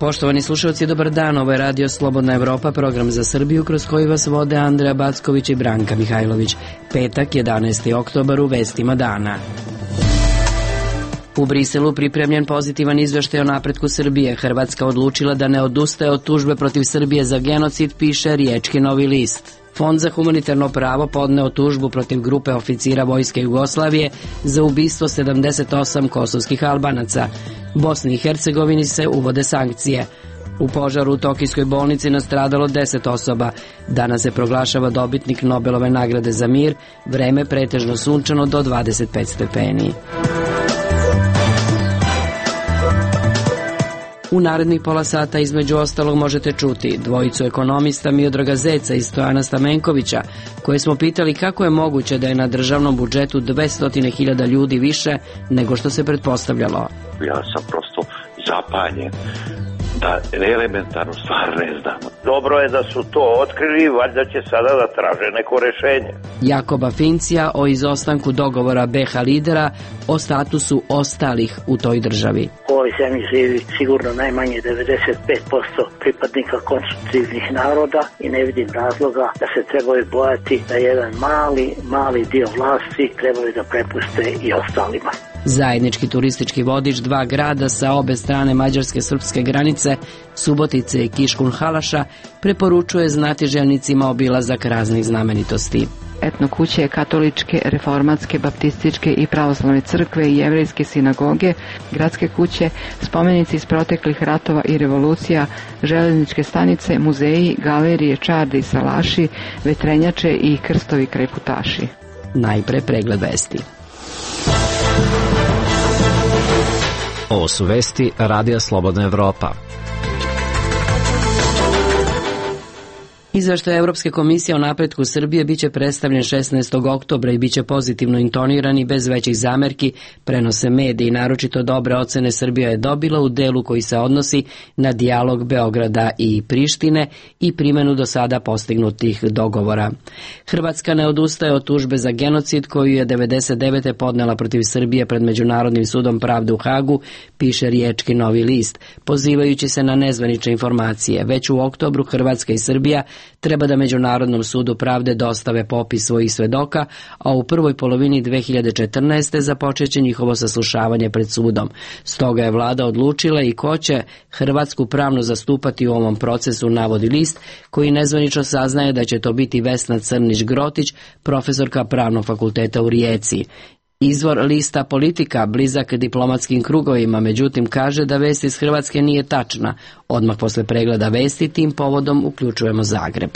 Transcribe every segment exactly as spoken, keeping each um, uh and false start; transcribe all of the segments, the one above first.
Poštovani slušalci, dobar dan, ovo je Radio Slobodna Evropa, program za Srbiju kroz koji vas vode Andreja Backović i Branka Mihajlović. Petak, jedanaesti oktobar, u vestima dana. U Briselu pripremljen pozitivan izveštaj o napretku Srbije. Hrvatska odlučila da ne odustaje od tužbe protiv Srbije za genocid, piše Riječki Novi list. Fond za humanitarno pravo podneo tužbu protiv grupe oficira Vojske Jugoslavije za ubistvo sedamdeset osam kosovskih Albanaca. Bosni i Hercegovini se uvode sankcije. U požaru u Tokijskoj bolnici nastradalo deset osoba. Danas se proglašava dobitnik Nobelove nagrade za mir, vreme pretežno sunčano do dvadeset pet stepeni. U narednih pola sata između ostalog možete čuti dvojicu ekonomista Miodraga Zeca i Stojana Stamenkovića, koje smo pitali kako je moguće da je na državnom budžetu dvesta hiljada ljudi više nego što se pretpostavljalo. Ja sam prosto zapanjen da elementarnu stvar ne znamo. Dobro je da su to otkrili, valjda će sada da traže neko rešenje. Jakoba Fincija o izostanku dogovora be ha lidera o statusu ostalih u toj državi. U ovoj zemlji živi sigurno najmanje devedeset pet posto pripadnika konstitutivnih naroda i ne vidim razloga da se trebaju bojati da jedan mali, mali dio vlasti trebaju da prepuste i ostalima. Zajednički turistički vodič dva grada sa obe strane mađarske-srpske granice, Subotice i Kiškunhalaša, preporučuje znatiželjnicima obilazak raznih znamenitosti. Etno kuće, katoličke, reformatske, baptističke i pravoslavne crkve i jevrejske sinagoge, gradske kuće, spomenici iz proteklih ratova i revolucija, železničke stanice, muzeji, galerije, čardi i salaši, vetrenjače i krstovi kreputaši. Najpre pregled vesti. Ovo su vesti Radija Slobodna Evropa. Izveštaj Evropske komisije o napretku Srbije biće predstavljen šesnaestog oktobra i biće pozitivno intoniran i bez većih zamerki, prenose mediji. Naročito dobre ocene Srbija je dobila u delu koji se odnosi na dijalog Beograda i Prištine i primenu do sada postignutih dogovora. Hrvatska ne odustaje od tužbe za genocid koju je devedeset devete podnela protiv Srbije pred Međunarodnim sudom pravde u Hagu, piše Riječki Novi list, pozivajući se na nezvanične informacije. Već u oktobru Hrvatska i Srbija treba da Međunarodnom sudu pravde dostave popis svojih svedoka, a u prvoj polovini dve hiljade četrnaeste. započeće njihovo saslušavanje pred sudom. Stoga je vlada odlučila i ko će Hrvatsku pravno zastupati u ovom procesu, navodi list, koji nezvanično saznaje da će to biti Vesna Crnić-Grotić, profesorka Pravnog fakulteta u Rijeci. Izvor lista Politika, blizak diplomatskim krugovima, međutim kaže da vest iz Hrvatske nije tačna. Odmah posle pregleda vesti tim povodom uključujemo Zagreb.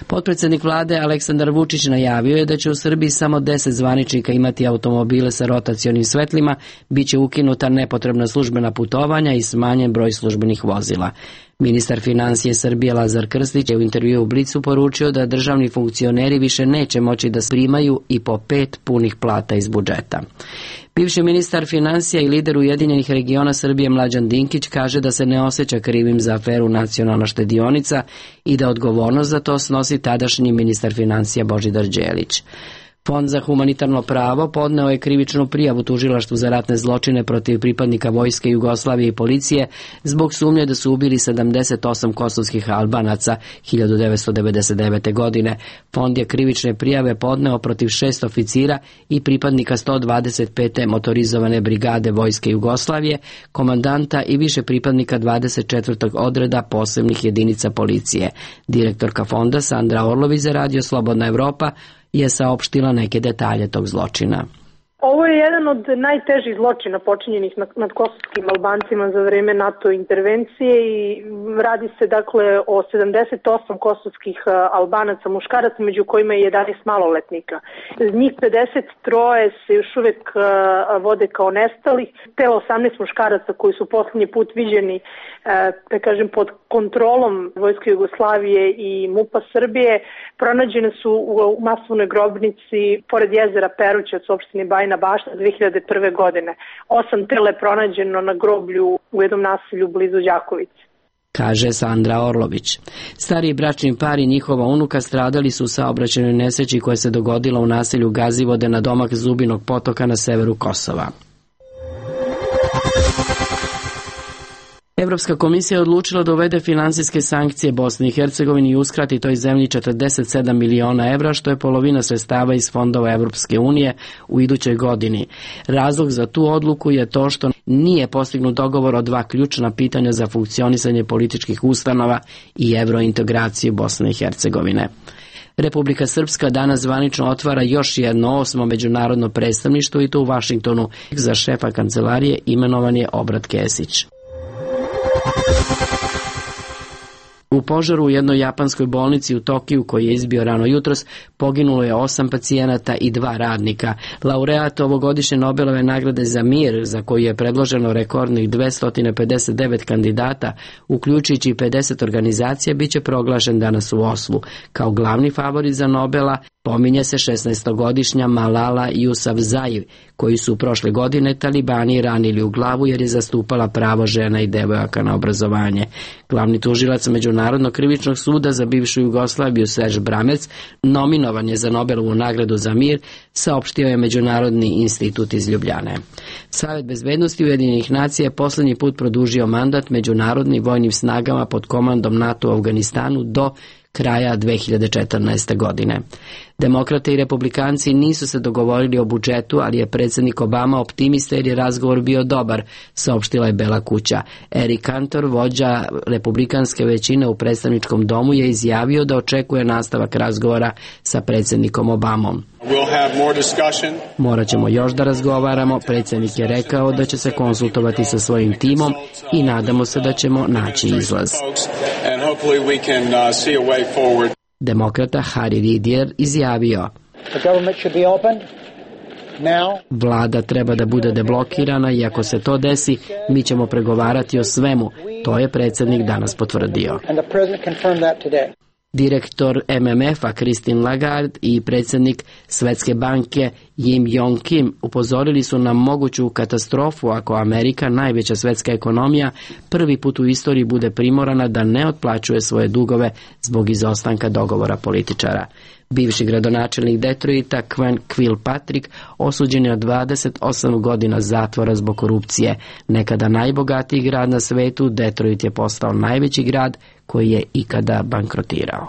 Potpredsjednik vlade Aleksandar Vučić najavio je da će u Srbiji samo deset zvaničnika imati automobile sa rotacionim svetlima, bit će ukinuta nepotrebna službena putovanja i smanjen broj službenih vozila. Ministar financije Srbije Lazar Krstić je u intervjuu u Blicu poručio da državni funkcioneri više neće moći da primaju i po pet punih plata iz budžeta. Bivši ministar financija i lider Ujedinjenih regiona Srbije Mlađan Dinkić kaže da se ne osjeća krivim za aferu Nacionalna štedionica i da odgovornost za to snosi tadašnji ministar financija Božidar Đelić. Fond za humanitarno pravo podneo je krivičnu prijavu tužilaštvu za ratne zločine protiv pripadnika Vojske Jugoslavije i policije zbog sumnje da su ubili sedamdeset osam kosovskih Albanaca hiljadu devetsto devedeset devete. godine. Fond je krivične prijave podneo protiv šest oficira i pripadnika sto dvadeset pete motorizovane brigade Vojske Jugoslavije, komandanta i više pripadnika dvadeset četvrtog odreda posebnih jedinica policije. Direktorka fonda Sandra Orlović za Radio Slobodna Evropa je saopštila neke detalje tog zločina. Ovo je jedan od najtežih zločina počinjenih nad kosovskim Albancima za vreme NATO intervencije i radi se dakle o sedamdeset osam kosovskih Albanaca muškaraca, među kojima je jedanaest maloletnika. Njih pedeset tri se još uvek vode kao nestalih, te osamnaest muškaraca koji su poslednji put viđeni, da kažem, pod kontrolom Vojske Jugoslavije i MUP-a Srbije, pronađene su u masovnoj grobnici pored jezera Peruća od opštine Bajina Bašta dve hiljade prve. godine. Osam tela je pronađeno na groblju u jednom naselju blizu Đakovice, kaže Sandra Orlović. Stariji bračni par i njihova unuka stradali su u saobraćajnoj nesreći koja se dogodila u naselju Gazivode na domak Zubinog potoka na severu Kosova. Evropska komisija je odlučila da uvede finansijske sankcije Bosni i Hercegovini i uskrati toj zemlji četrdeset sedam miliona evra, što je polovina sredstava iz fondova Evropske unije u idućoj godini. Razlog za tu odluku je to što nije postignut dogovor o dva ključna pitanja za funkcionisanje političkih ustanova i evrointegraciju Bosne i Hercegovine. Republika Srpska danas zvanično otvara još jedno osmo međunarodno predstavništvo i to u Vašingtonu. Za šefa kancelarije imenovan je Obrat Kesić. U požaru u jednoj japanskoj bolnici u Tokiju, koji je izbio rano jutros, poginulo je osam pacijenata i dva radnika. Laureat ovogodišnje Nobelove nagrade za mir, za koju je predloženo rekordnih dvesta pedeset devet kandidata, uključujući pedeset organizacija, bit će proglašen danas u Oslu. Kao glavni favorit za Nobela pominje se šesnaestogodišnja Malala Yousafzai, koju su prošle godine talibani ranili u glavu jer je zastupala pravo žena i devojaka na obrazovanje. Glavni tužilac Međunarodnog krivičnog suda za bivšu Jugoslaviju Serge Bramec nominovan je za Nobelovu nagradu za mir, saopštio je Međunarodni institut iz Ljubljane. Savet bezbednosti Ujedinjenih nacija je poslednji put produžio mandat međunarodnim vojnim snagama pod komandom NATO u Afganistanu do kraja dve hiljade četrnaeste. godine. Demokrate i republikanci nisu se dogovorili o budžetu, ali je predsjednik Obama optimista jer je razgovor bio dobar, saopštila je Bela kuća. Eric Cantor, vođa republikanske većine u predstavničkom domu, je izjavio da očekuje nastavak razgovora sa predsjednikom Obamom. Morat ćemo još da razgovaramo, predsjednik je rekao da će se konsultovati sa svojim timom i nadamo se da ćemo naći izlaz. Demokrata Harry Reid je izjavio: Vlada treba da bude deblokirana i ako se to desi, mi ćemo pregovarati o svemu. To je predsjednik danas potvrdio. Direktor M M F-a Christine Lagarde i predsjednik Svetske banke Jim Yong Kim upozorili su na moguću katastrofu ako Amerika, najveća svetska ekonomija, prvi put u istoriji bude primorana da ne otplaćuje svoje dugove zbog izostanka dogovora političara. Bivši gradonačelnik Detroita Quen Kilpatrick osuđen je na dvadeset osam godina zatvora zbog korupcije. Nekada najbogatiji grad na svetu, Detroit je postao najveći grad koji je ikada bankrotirao.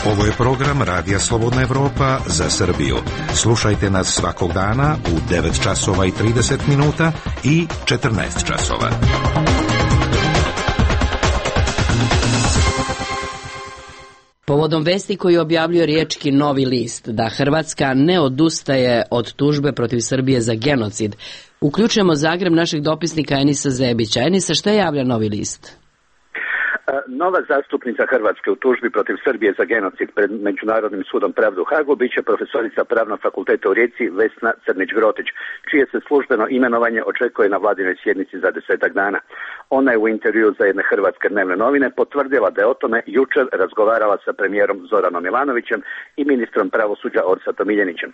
Ovo je program Radija Slobodna Evropa za Srbiju. Slušajte nas svakog dana u devet časova i trideset minuta i četrnaest časova. Povodom vesti koju objavljuje riječki Novi list da Hrvatska ne odustaje od tužbe protiv Srbije za genocid, uključujemo Zagreb našeg dopisnika Enisa Zebića. Enisa, šta javlja Novi list? Nova zastupnica Hrvatske u tužbi protiv Srbije za genocid pred Međunarodnim sudom pravde u Hagu biće profesorica Pravnog fakulteta u Rijeci Vesna Crnić-Grotić, čije se službeno imenovanje očekuje na vladinoj sjednici za desetak dana. Ona je u intervju za jedne hrvatske dnevne novine potvrdila da je o tome jučer razgovarala sa premijerom Zoranom Milanovićem i ministrom pravosuđa Orsatom Miljenićem.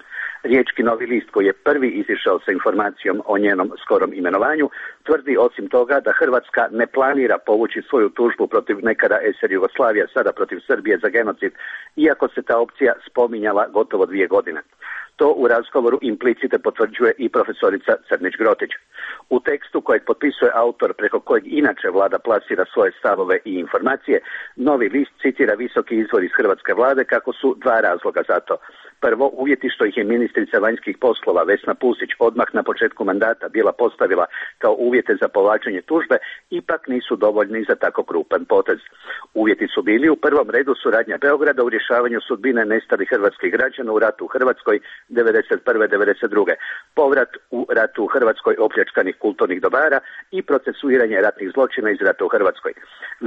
Riječki Novi list, koji je prvi izišao sa informacijom o njenom skorom imenovanju, tvrdi osim toga da Hrvatska ne planira povući svoju tužbu protiv nekada S R Jugoslavija, sada protiv Srbije za genocid, iako se ta opcija spominjala gotovo dvije godine. To u razgovoru implicite potvrđuje i profesorica Crnić-Grotić. U tekstu kojeg potpisuje autor preko kojeg inače vlada plasira svoje stavove i informacije, Novi list citira visoki izvor iz hrvatske vlade kako su dva razloga za to. Prvo, uvjeti što ih je ministrica vanjskih poslova Vesna Pusić odmah na početku mandata bila postavila kao uvjete za povlačenje tužbe, ipak nisu dovoljni za tako krupan potez. Uvjeti su bili u prvom redu suradnja Beograda u rješavanju sudbine nestalih hrvatskih građana u ratu u Hrvatskoj devedeset prve do devedeset druge, povrat u ratu u Hrvatskoj opljačkanih kulturnih dobara i procesuiranje ratnih zločina iz rata u Hrvatskoj.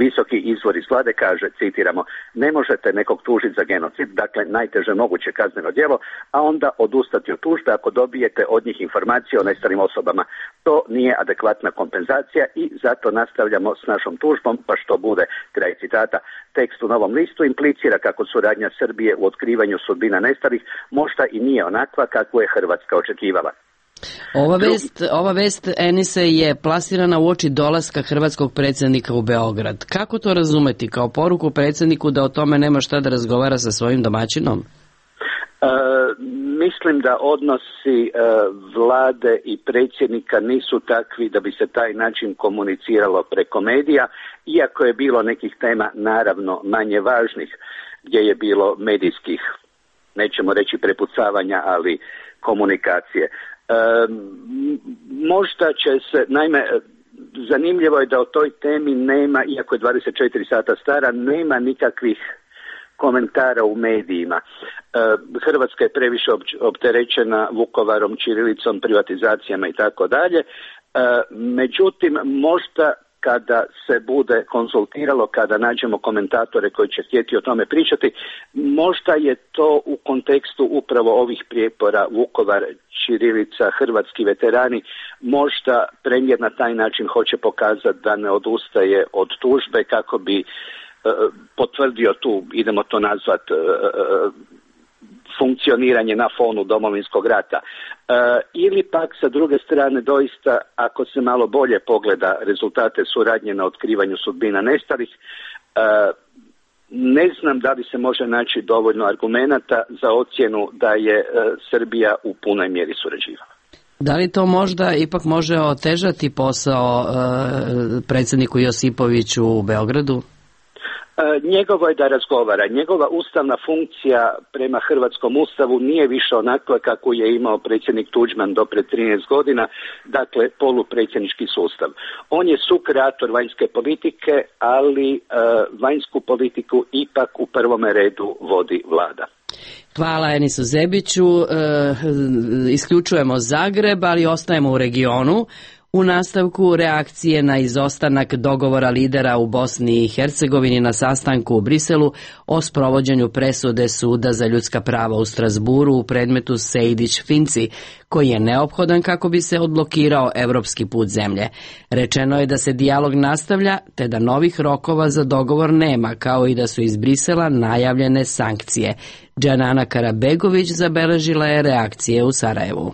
Visoki izvor iz vlade kaže, citiramo, ne možete nekog tužiti za genocid, dakle najteže moguće kazneno djelo, a onda odustati od tužbe ako dobijete od njih informacije o nestalim osobama. To nije adekvatna kompenzacija i zato nastavljamo s našom tužbom, pa što bude, kraj citata. Tekst u Novom listu implicira kako suradnja Srbije u otkrivanju sudbina nestalih možda i nije onakva kakvu je Hrvatska očekivala. Ova vest, ova vest Enise je plasirana u oči dolaska hrvatskog predsjednika u Beograd. Kako to razumeti? Kao poruku predsjedniku da o tome nema šta da razgovara sa svojim domaćinom? mislim da odnosi e, vlade i predsjednika nisu takvi da bi se taj način komuniciralo preko medija, iako je bilo nekih tema naravno manje važnih gdje je bilo medijskih, nećemo reći prepucavanja, ali komunikacije. E, možda će se, naime, zanimljivo je da o toj temi nema, iako je dvadeset četiri sata stara, nema nikakvih komentara u medijima. Hrvatska je previše opterećena Vukovarom, ćirilicom, privatizacijama i tako dalje. Međutim, možda kada se bude konzultiralo, kada nađemo komentatore koji će htjeti o tome pričati, možda je to u kontekstu upravo ovih prijepora Vukovar, ćirilica, hrvatski veterani, možda premijer na taj način hoće pokazati da ne odustaje od tužbe kako bi potvrdio tu, idemo to nazvat, funkcioniranje na fonu Domovinskog rata. Ili pak sa druge strane doista, ako se malo bolje pogleda rezultate suradnje na otkrivanju sudbina nestalih, ne znam da li se može naći dovoljno argumenata za ocjenu da je Srbija u punoj mjeri surađivala. Da li to možda ipak može otežati posao predsjedniku Josipoviću u Beogradu? Njegovo je da razgovara. Njegova ustavna funkcija prema hrvatskom ustavu nije više onakva kako je imao predsjednik Tuđman do pred trinaest godina, dakle polupredsjednički sustav. On je sukreator vanjske politike, ali uh, vanjsku politiku ipak u prvome redu vodi vlada. Hvala Enisu Zebiću. E, isključujemo Zagreb, ali ostajemo u regionu. U nastavku reakcije na izostanak dogovora lidera u Bosni i Hercegovini na sastanku u Briselu o sprovođenju presude Suda za ljudska prava u Strasburu u predmetu Sejdić-Finci, koji je neophodan kako bi se odblokirao evropski put zemlje. Rečeno je da se dijalog nastavlja, te da novih rokova za dogovor nema, kao i da su iz Brisela najavljene sankcije. Džanana Karabegović zabeležila je reakcije u Sarajevu.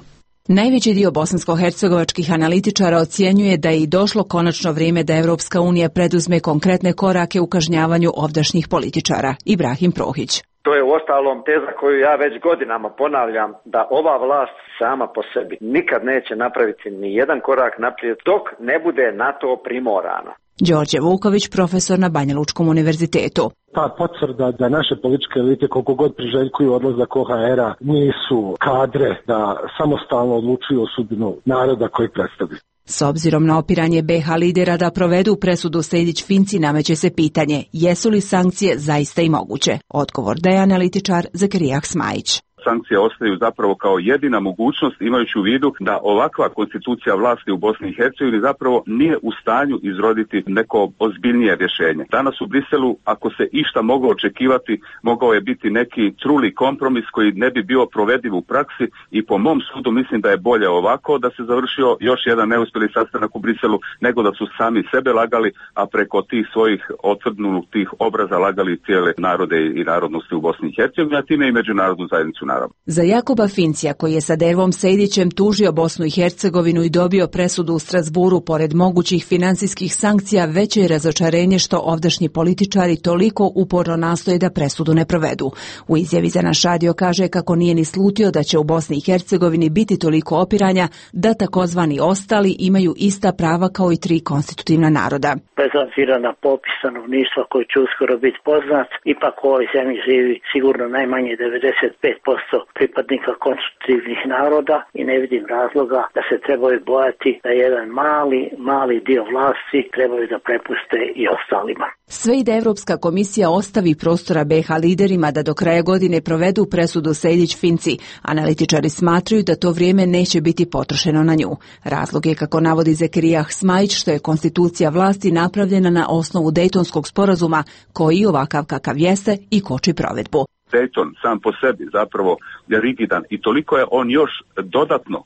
Najveći dio bosansko-hercegovačkih analitičara ocjenjuje da je i došlo konačno vrijeme da Evropska unija preduzme konkretne korake u kažnjavanju ovdašnjih političara. Ibrahim Prohić. To je uostalom teza koju ja već godinama ponavljam, da ova vlast sama po sebi nikad neće napraviti ni jedan korak naprijed dok ne bude na to primorana. Đorđe Vuković, profesor na Banja Lučkom univerzitetu. Ta potvrda da naše političke elite koliko god priželjkuju odlazak O H R-a nisu kadre da samostalno odlučuju o sudbinu naroda koji predstavljaju. S obzirom na opiranje B H lidera da provedu presudu Sejdić-Finci nameće se pitanje jesu li sankcije zaista i moguće. Odgovor daje analitičar Zakirijah Smajić. Sankcije ostaju zapravo kao jedina mogućnost, imajući u vidu da ovakva konstitucija vlasti u Bosni i Hercegovini zapravo nije u stanju izroditi neko ozbiljnije rješenje. Danas u Briselu, ako se išta moglo očekivati, mogao je biti neki truli kompromis koji ne bi bio provediv u praksi i po mom sudu mislim da je bolje ovako da se završio još jedan neuspjeli sastanak u Briselu nego da su sami sebe lagali, a preko tih svojih otvrdnutih obraza lagali cijele narode i narodnosti u Bosni i Hercegovini, a time i međunarodnu zajednicu. Za Jakoba Fincija, koji je sa Dervom Sejdićem tužio Bosnu i Hercegovinu i dobio presudu u Strasburu, pored mogućih financijskih sankcija, veće je razočarenje što ovdašnji političari toliko uporno nastoje da presudu ne provedu. U izjavi za naš radio kaže kako nije ni slutio da će u Bosni i Hercegovini biti toliko opiranja da takozvani ostali imaju ista prava kao i tri konstitutivna naroda. Bez obzira na popis stanovništva koji će uskoro biti poznat, ipak u ovoj zemlji živi sigurno najmanje devedeset pet posto pripadnika konstitutivnih naroda i ne vidim razloga da se trebaju bojati da jedan mali, mali dio vlasti trebaju da prepuste i ostalima. Sve i da Evropska komisija ostavi prostora B H liderima da do kraja godine provedu presudu Sejdić-Finci, analitičari smatraju da to vrijeme neće biti potrošeno na nju. Razlog je, kako navodi Zakirijah Smajić, što je konstitucija vlasti napravljena na osnovu Dejtonskog sporazuma, koji ovakav kakav jeste i koči provedbu. Dayton sam po sebi zapravo je rigidan i toliko je on još dodatno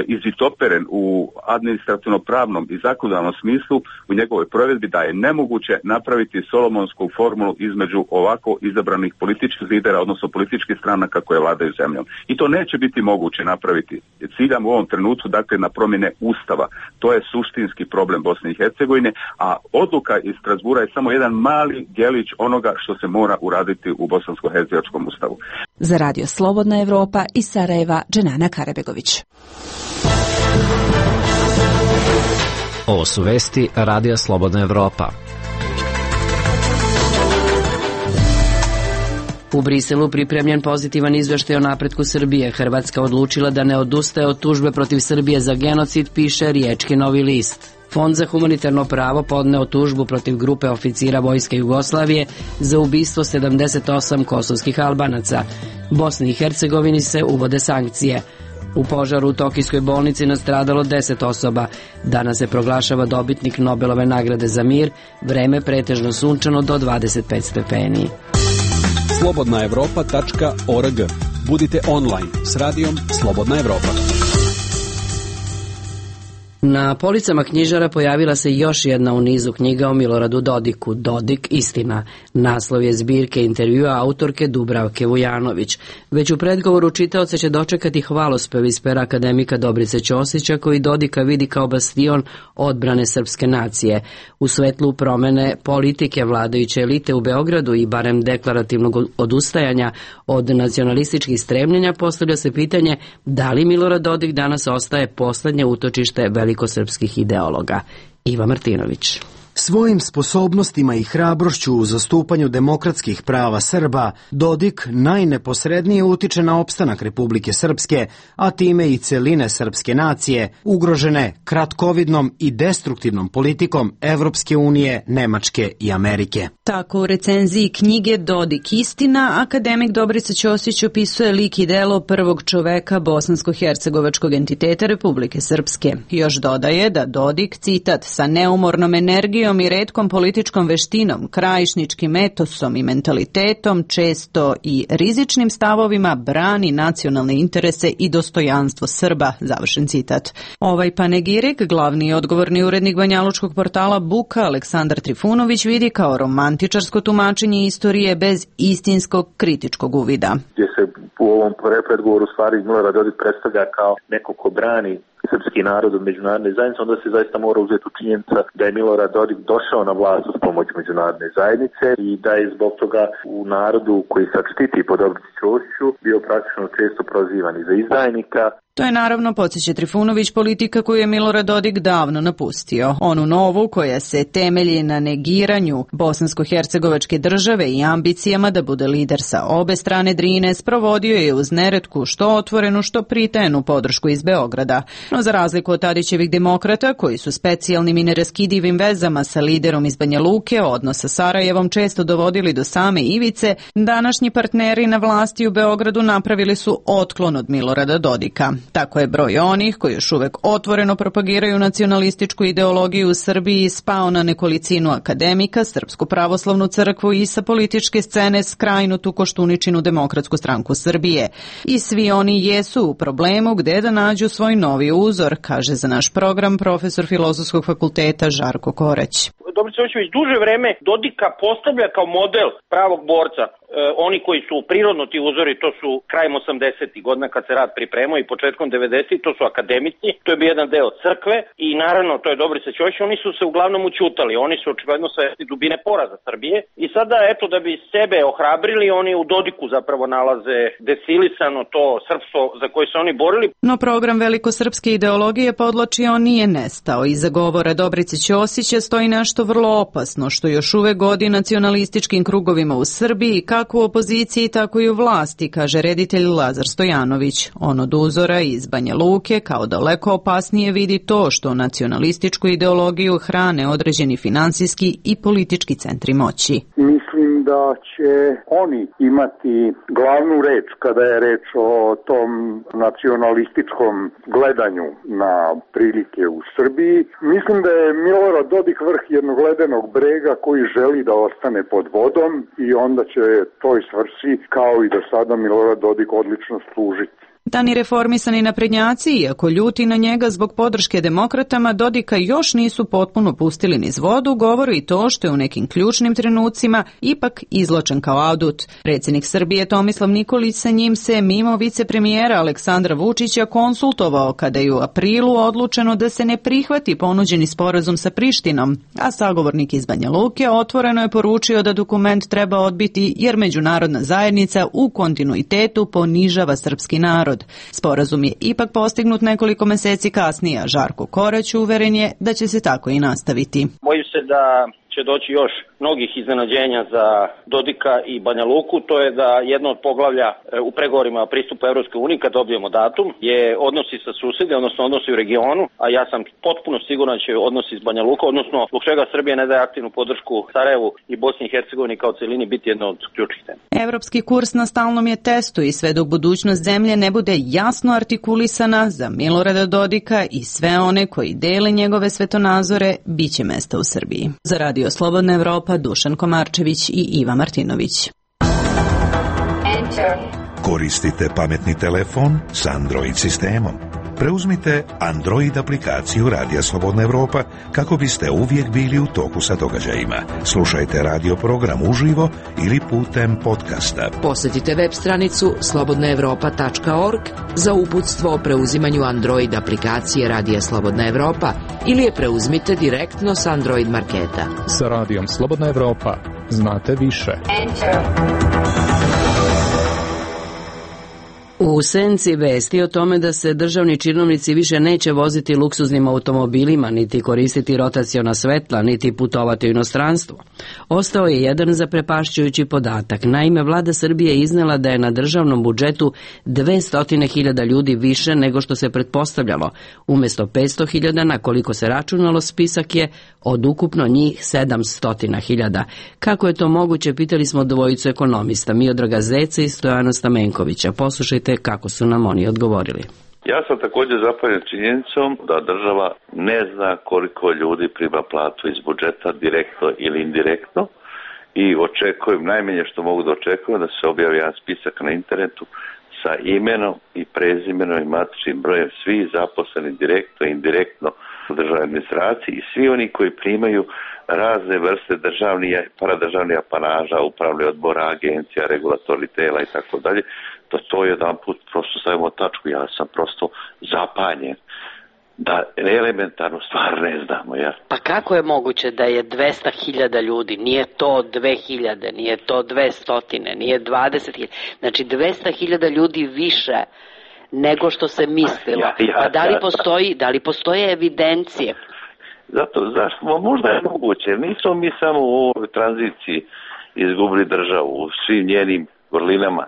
izvitoperen u administrativno-pravnom i zakonodavnom smislu u njegovoj provedbi da je nemoguće napraviti solomonsku formulu između ovako izabranih političkih lidera, odnosno političkih stranaka koje vladaju zemljom. I to neće biti moguće napraviti. Ciljam u ovom trenutku, dakle, na promjene Ustava. To je suštinski problem Bosne i Hercegovine, a odluka iz Strasbura je samo jedan mali djelić onoga što se mora uraditi u bosansko-hercegovačkom ustavu. Za Radio Slobodna Evropa iz Sarajeva, Dženana Karabegović. Ovo su vesti Radija Slobodna Evropa. U Briselu pripremljen pozitivan izveštaj o napretku Srbije. Hrvatska odlučila da ne odustaje od tužbe protiv Srbije za genocid, piše Riječki Novi list. Fond za humanitarno pravo podneo tužbu protiv grupe oficira Vojske Jugoslavije za ubistvo sedamdeset osam kosovskih Albanaca. Bosni i Hercegovini se uvode sankcije. U požaru u Tokijskoj bolnici nastradalo deset osoba. Danas se proglašava dobitnik Nobelove nagrade za mir. Vreme pretežno sunčano do dvadeset pet stepeni. slobodna evropa tačka org. Budite online s radijom Slobodna Evropa. Na policama knjižara pojavila se još jedna u nizu knjiga o Miloradu Dodiku, Dodik, istina. Naslov je zbirke intervjua autorke Dubravke Vujanović. Već u predgovoru čitaoce će dočekati hvalospev iz pera akademika Dobrice Ćosića, koji Dodika vidi kao bastion odbrane srpske nacije. U svetlu promene politike vladajuće elite u Beogradu i barem deklarativnog odustajanja od nacionalističkih stremljenja, postavlja se pitanje da li Milorad Dodik danas ostaje poslednje utočište velikosrpskih ideologa. Iva Martinović. Svojim sposobnostima i hrabrošću u zastupanju demokratskih prava Srba, Dodik najneposrednije utiče na opstanak Republike Srpske, a time i celine srpske nacije, ugrožene kratkovidnom i destruktivnom politikom Evropske unije, Nemačke i Amerike. Tako u recenziji knjige Dodik, istina, akademik Dobrica Ćosić opisuje lik i delo prvog čoveka bosansko-hercegovačkog entiteta Republike Srpske. Još dodaje da Dodik, citat, sa neumornom energijom i retkom političkom veštinom, krajišničkim etosom i mentalitetom, često i rizičnim stavovima, brani nacionalne interese i dostojanstvo Srba, završen citat. Ovaj panegirik, glavni i odgovorni urednik banjalučkog portala Buka, Aleksandar Trifunović, vidi kao romantičarsko tumačenje istorije bez istinskog kritičkog uvida. Gdje se u ovom predgovoru stvari Milorad Dodik predstavlja kao neko ko brani srpski narod od međunarodne zajednice, onda se zaista mora uzeti u činjenica da je Milorad Dodik došao na vlast uz pomoć međunarodne zajednice i da je zbog toga u narodu koji sad štiti po Dobrici Ćosiću bio praktično često prozivan i za izdajnika. To je naravno, podsjeća Trifunović, politika koju je Milorad Dodik davno napustio. Onu novu koja se temelji na negiranju bosansko-hercegovačke države i ambicijama da bude lider sa obe strane Drine, sprovodio je uz neretku što otvorenu, što pritajenu podršku iz Beograda. No za razliku od Tadićevih demokrata, koji su specijalnim i neraskidivim vezama sa liderom iz Banja Luke, odnos sa Sarajevom često dovodili do same ivice, današnji partneri na vlasti u Beogradu napravili su otklon od Milorada Dodika. Tako je broj onih koji još uvek otvoreno propagiraju nacionalističku ideologiju u Srbiji spao na nekolicinu akademika, Srpsku pravoslavnu crkvu i sa političke scene skrajnutu Koštuničinu Demokratsku stranku Srbije. I svi oni jesu u problemu gde da nađu svoj novi uzor, kaže za naš program profesor Filozofskog fakulteta Žarko Korać. Dobrica Ćosić duže vreme Dodika postavlja kao model pravog borca. E, oni koji su prirodno ti uzori, to su krajem osamdesetih godina kad se rad pripremao i početkom devedesetih, to su akademici, to je bio jedan deo crkve i naravno to je Dobrica Ćosić, oni su se uglavnom učutali, oni su očigledno svesni dubine poraza Srbije i sada eto da bi sebe ohrabrili, oni u Dodiku zapravo nalaze desilisano to srpstvo za koje se oni borili. No program velikosrpske ideologije, podloči, on nije nestao. Iza govora Dobrice Ćosića stoji nešto vrlo opasno, što još uvek godi nacionalističkim krugovima u Srbiji, kako u opoziciji, tako i u vlasti, kaže reditelj Lazar Stojanović. On od uzora iz Banja Luke kao daleko opasnije vidi to što nacionalističku ideologiju hrane određeni finansijski i politički centri moći. Mislim da će oni imati glavnu reč kada je reč o tom nacionalističkom gledanju na prilike u Srbiji. Mislim da je Milorad Dodik vrh jednog ledenog brega koji želi da ostane pod vodom i onda će toj svrsi kao i do sada Milorad Dodik odlično služiti. Da ni reformisani naprednjaci, iako ljuti na njega zbog podrške demokratama, Dodika još nisu potpuno pustili niz vodu, govori i to što je u nekim ključnim trenucima ipak izločen kao adut. Predsjednik Srbije Tomislav Nikolić sa njim se mimo vicepremijera Aleksandra Vučića konsultovao kada je u aprilu odlučeno da se ne prihvati ponuđeni sporazum sa Prištinom, a sagovornik iz Banja Luke otvoreno je poručio da dokument treba odbiti jer međunarodna zajednica u kontinuitetu ponižava srpski narod. Sporazum je ipak postignut nekoliko meseci kasnije, a Žarko Korać uveren je da će se tako i nastaviti. Bojim se da će doći još mnogih iznenađenja za Dodika i Banja Luku. To je da jedno od poglavlja u pregovorima pristupa Evropskoj uniji, kad dobijemo datum, je odnosi sa susede, odnosno odnosi u regionu, a ja sam potpuno siguran da će odnosi s Banja Luka, odnosno zbog čega Srbija ne daje aktivnu podršku Sarajevu i Bosni i Hercegovini kao celini, biti jedno od ključnih tema. Evropski kurs na stalnom je testu i sve dok budućnost zemlje ne bude jasno artikulisana, za Milorada Dodika i sve one koji dele njegove svetonazore, bit će mesta u Srbiji. Za Radio Slobodna Evropa, Dušan Komarčević i Iva Martinović. Enter. Koristite pametni telefon s Android sistemom. Preuzmite Android aplikaciju Radija Slobodna Evropa kako biste uvijek bili u toku sa događajima. Slušajte radio program uživo ili putem podcasta. Posjetite web stranicu slobodna evropa tačka org za uputstvo o preuzimanju Android aplikacije Radija Slobodna Evropa ili je preuzmite direktno s Android marketa. Sa Radijom Slobodna Evropa znate više. Enter. U senci vesti o tome da se državni činovnici više neće voziti luksuznim automobilima, niti koristiti rotaciona svetla, niti putovati u inostranstvo. Ostao je jedan zaprepašćujući podatak. Naime, vlada Srbije je iznela da je na državnom budžetu dvesta hiljada ljudi više nego što se pretpostavljalo. Umjesto petsto hiljada, na koliko se računalo, spisak je od ukupno njih sedamsto hiljada. Kako je to moguće, pitali smo dvojicu ekonomista, Miodraga Zeca i Stojana Stamenkovića. Poslušajte kako su nam oni odgovorili. Ja sam također zapanjen činjenicom da država ne zna koliko ljudi prima platu iz budžeta direktno ili indirektno i očekujem, najmanje što mogu da očekujem, da se objavi jedan spisak na internetu sa imenom i prezimenom i matičnim brojem svi zaposleni direktno i indirektno u državnoj administraciji i svi oni koji primaju razne vrste državnih, paradržavnih apanaža, upravni odbora, agencija, regulatornih tela i tako dalje. Da to jedan put prosto stavimo tačku. Ja sam prosto zapanjen da elementarnu stvar ne znamo. Ja. Pa kako je moguće da je dvesta hiljada ljudi, nije to dve hiljade, nije to dvestotine, nije dvadeset hiljada, znači dvesta hiljada ljudi više nego što se mislilo. Ja, ja, pa da li, postoji, da li postoje evidencije? Zato, zašto? Možda je moguće. Nismo mi samo u ovoj tranziciji izgubili državu u svim njenim vrlinama.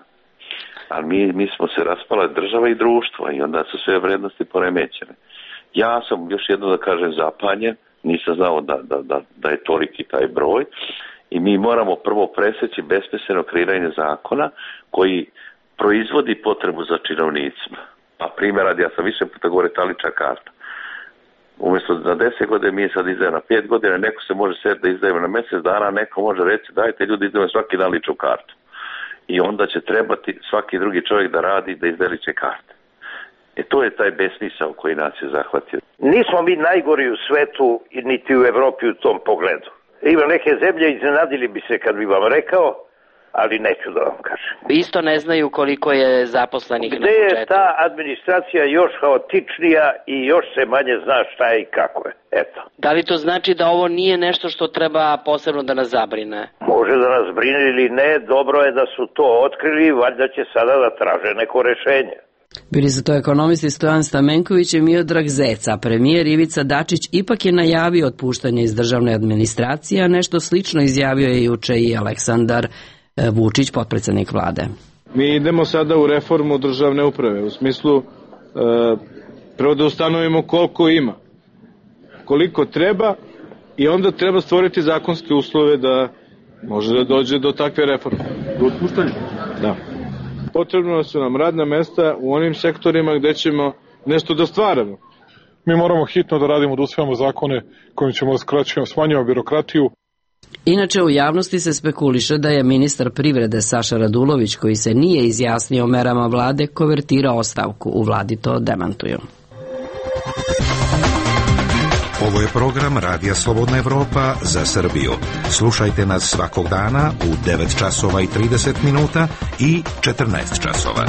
Ali mi, mi smo se raspala država i društvo i onda su sve vrednosti poremećene. Ja sam, još jedno da kažem, zapanjen, nisam znao da, da, da, da je toliki taj broj i mi moramo prvo preseći besmisleno kreiranje zakona koji proizvodi potrebu za činovnicima. Pa primjer radi, ja sam više puta govorio talična karta. Umjesto na deset godina mi je sad izdaje na pet godina, neko se može sjetiti da izdajemo na mjesec dana, neko može reći dajte ljudi izdajemo svaki dan ličnu kartu. I onda će trebati svaki drugi čovjek da radi da izdaje lične karte. E to je taj besmisao koji nas je zahvatio. Nismo mi najgori u svetu niti u Evropi u tom pogledu. Ima neke zemlje, iznenadili bi se kad bi vam rekao, ali neću da vam kažem. Isto ne znaju koliko je zaposlenih na budžetu. Gde je ta administracija još haotičnija i još se manje zna šta je i kako je. Eto. Da li to znači da ovo nije nešto što treba posebno da nas zabrine? Može da nas brine ili ne, dobro je da su to otkrili, valjda će sada da traže neko rešenje. Bili su to ekonomisti Stojan Stamenković i Miodrag Zeca. Premijer Ivica Dačić ipak je najavio otpuštanje iz državne administracije, a nešto slično izjavio je juče i Aleksandar Vučić, potpredsjednik vlade. Mi idemo sada u reformu državne uprave, u smislu e, prvo da ustanovimo koliko ima, koliko treba i onda treba stvoriti zakonske uslove da može da dođe do takve reforme. Do otpuštanja? Da. Potrebno su nam radna mesta u onim sektorima gde ćemo nešto da stvaramo. Mi moramo hitno da radimo, da usvajamo zakone kojim ćemo da skraćujemo, smanjujemo birokratiju. Inače, u javnosti se spekuliše da je ministar privrede Saša Radulović, koji se nije izjasnio o merama vlade, konvertirao ostavku. U vladi to demantuju. Ovo je program Radija Slobodna Evropa za Srbiju. Slušajte nas svakog dana u devet časova i trideset minuta i četrnaest časova.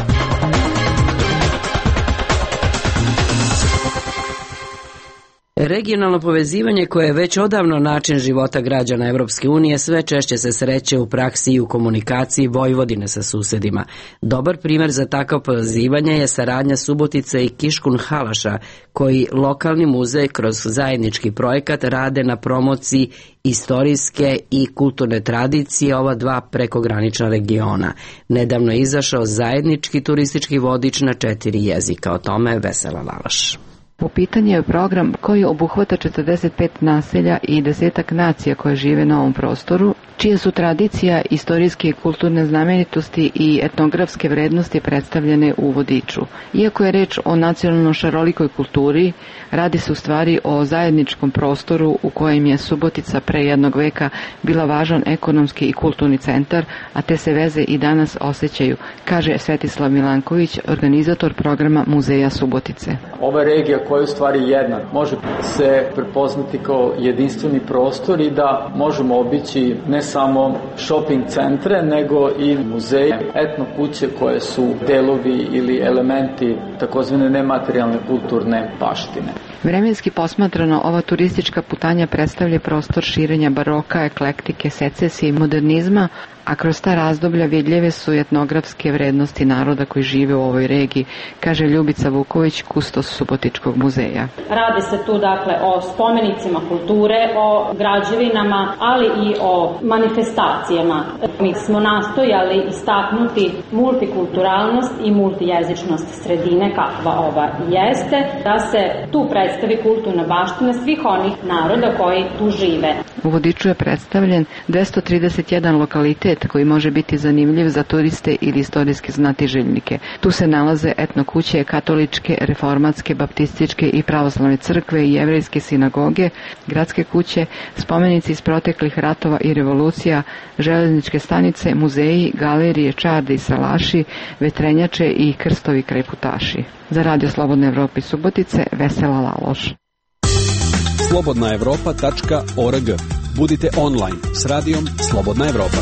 Regionalno povezivanje, koje je već odavno način života građana Evropske unije, sve češće se sreće u praksi i u komunikaciji Vojvodine sa susedima. Dobar primjer za takvo povezivanje je saradnja Subotice i Kiškunhalaša, koji lokalni muzej kroz zajednički projekat rade na promociji istorijske i kulturne tradicije ova dva prekogranična regiona. Nedavno je izašao zajednički turistički vodič na četiri jezika. O tome Vesela Laloš. U pitanju je program koji obuhvata četrdeset pet naselja i desetak nacija koje žive na ovom prostoru, čije su tradicija, istorijske i kulturne znamenitosti i etnografske vrednosti predstavljene u vodiču. Iako je reč o nacionalno šarolikoj kulturi, radi se u stvari o zajedničkom prostoru u kojem je Subotica pre jednog veka bila važan ekonomski i kulturni centar, a te se veze i danas osjećaju, kaže Svetislav Milanković, organizator programa Muzeja Subotice. Ova regija koja je u stvari jedna, može se prepoznati kao jedinstveni prostor i da možemo obići ne samo shopping centre, nego i muzeje, etno kuće koje su delovi ili elementi takozvane nematerijalne kulturne baštine. Vremenski posmatrano, ova turistička putanja predstavlja prostor širenja baroka, eklektike, secesije i modernizma, a kroz ta razdoblja vidljive su etnografske vrednosti naroda koji žive u ovoj regiji, kaže Ljubica Vuković, kustos Subotičkog muzeja. Radi se tu dakle o spomenicima kulture, o građevinama, ali i o manifestacijama. Mi smo nastojali istaknuti multikulturalnost i multijezičnost sredine kakva ova jeste, da se tu predstavi kulturna baština svih onih naroda koji tu žive. U vodiču je predstavljen dvesta trideset jedan lokalitet koji može biti zanimljiv za turiste ili istorijske znatiželjnike. Tu se nalaze etno kuće, katoličke, reformatske, baptističke i pravoslavne crkve i jevrejske sinagoge, gradske kuće, spomenici iz proteklih ratova i revolucija, železničke stanice, muzeji, galerije, čarde i salaši, vetrenjače i krstovi krajputaši. Za Radio Slobodne Evrope Subotice, Vesela Laloš. slobodna evropa tačka org. Budite online s radijom Slobodna Evropa.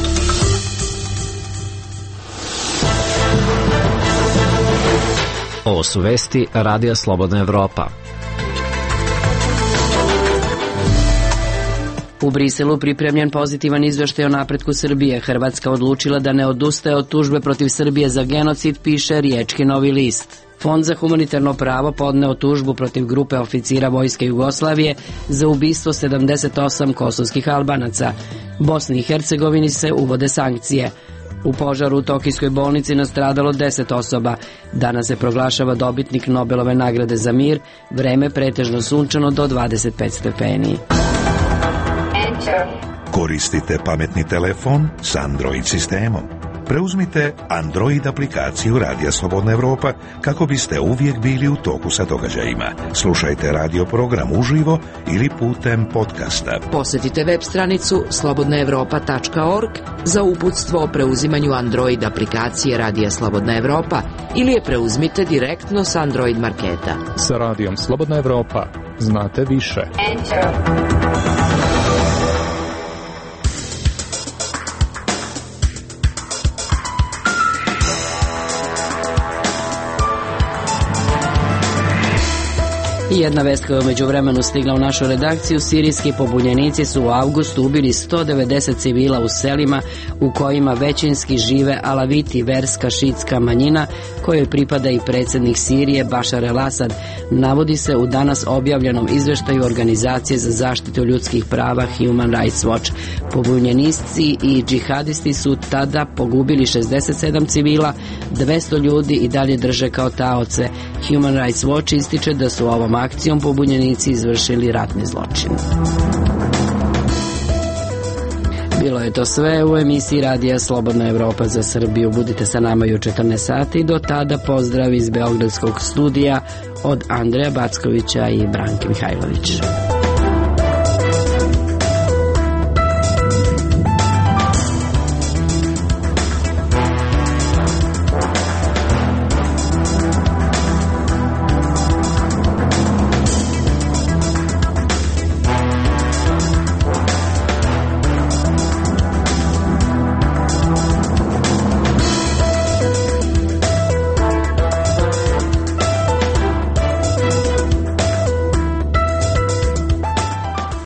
Ovo su vesti Radija Slobodna Evropa. U Briselu pripremljen pozitivan izveštaj o napretku Srbije. Hrvatska odlučila da ne odustaje od tužbe protiv Srbije za genocid, piše Riječki Novi list. Fond za humanitarno pravo podneo tužbu protiv grupe oficira Vojske Jugoslavije za ubistvo sedamdeset osam kosovskih Albanaca. Bosni i Hercegovini se uvode sankcije. U požaru u Tokijskoj bolnici nastradalo deset osoba. Danas se proglašava dobitnik Nobelove nagrade za mir, vreme pretežno sunčano do dvadeset pet stepeni. Koristite pametni telefon s Android sistemom. Preuzmite Android aplikaciju Radija Slobodna Evropa kako biste uvijek bili u toku sa događajima. Slušajte radio program uživo ili putem podcasta. Posjetite web stranicu slobodna evropa tačka org za uputstvo o preuzimanju Android aplikacije Radija Slobodna Evropa ili je preuzmite direktno s Android marketa. Sa Radijom Slobodna Evropa znate više. I jedna vest koja je umeđu vremenu stigla u našu redakciju: sirijski pobunjenici su u avgustu ubili sto devedeset civila u selima u kojima većinski žive alaviti, verska šitska manjina kojoj pripada i predsjednik Sirije Bašar el-Asad, navodi se u danas objavljenom izveštaju Organizacije za zaštitu ljudskih prava Human Rights Watch. Pobunjenici i džihadisti su tada pogubili šezdeset sedam civila, dvesta ljudi i dalje drže kao taoce. Human Rights Watch ističe da su ovom akcijom pobunjenici izvršili ratni zločin. Bilo je to sve u emisiji Radija Slobodna Evropa za Srbiju. Budite sa nama i u četrnaest sati. Do tada pozdrav iz Beogradskog studija od Andreja Backovića i Branke Mihajlović.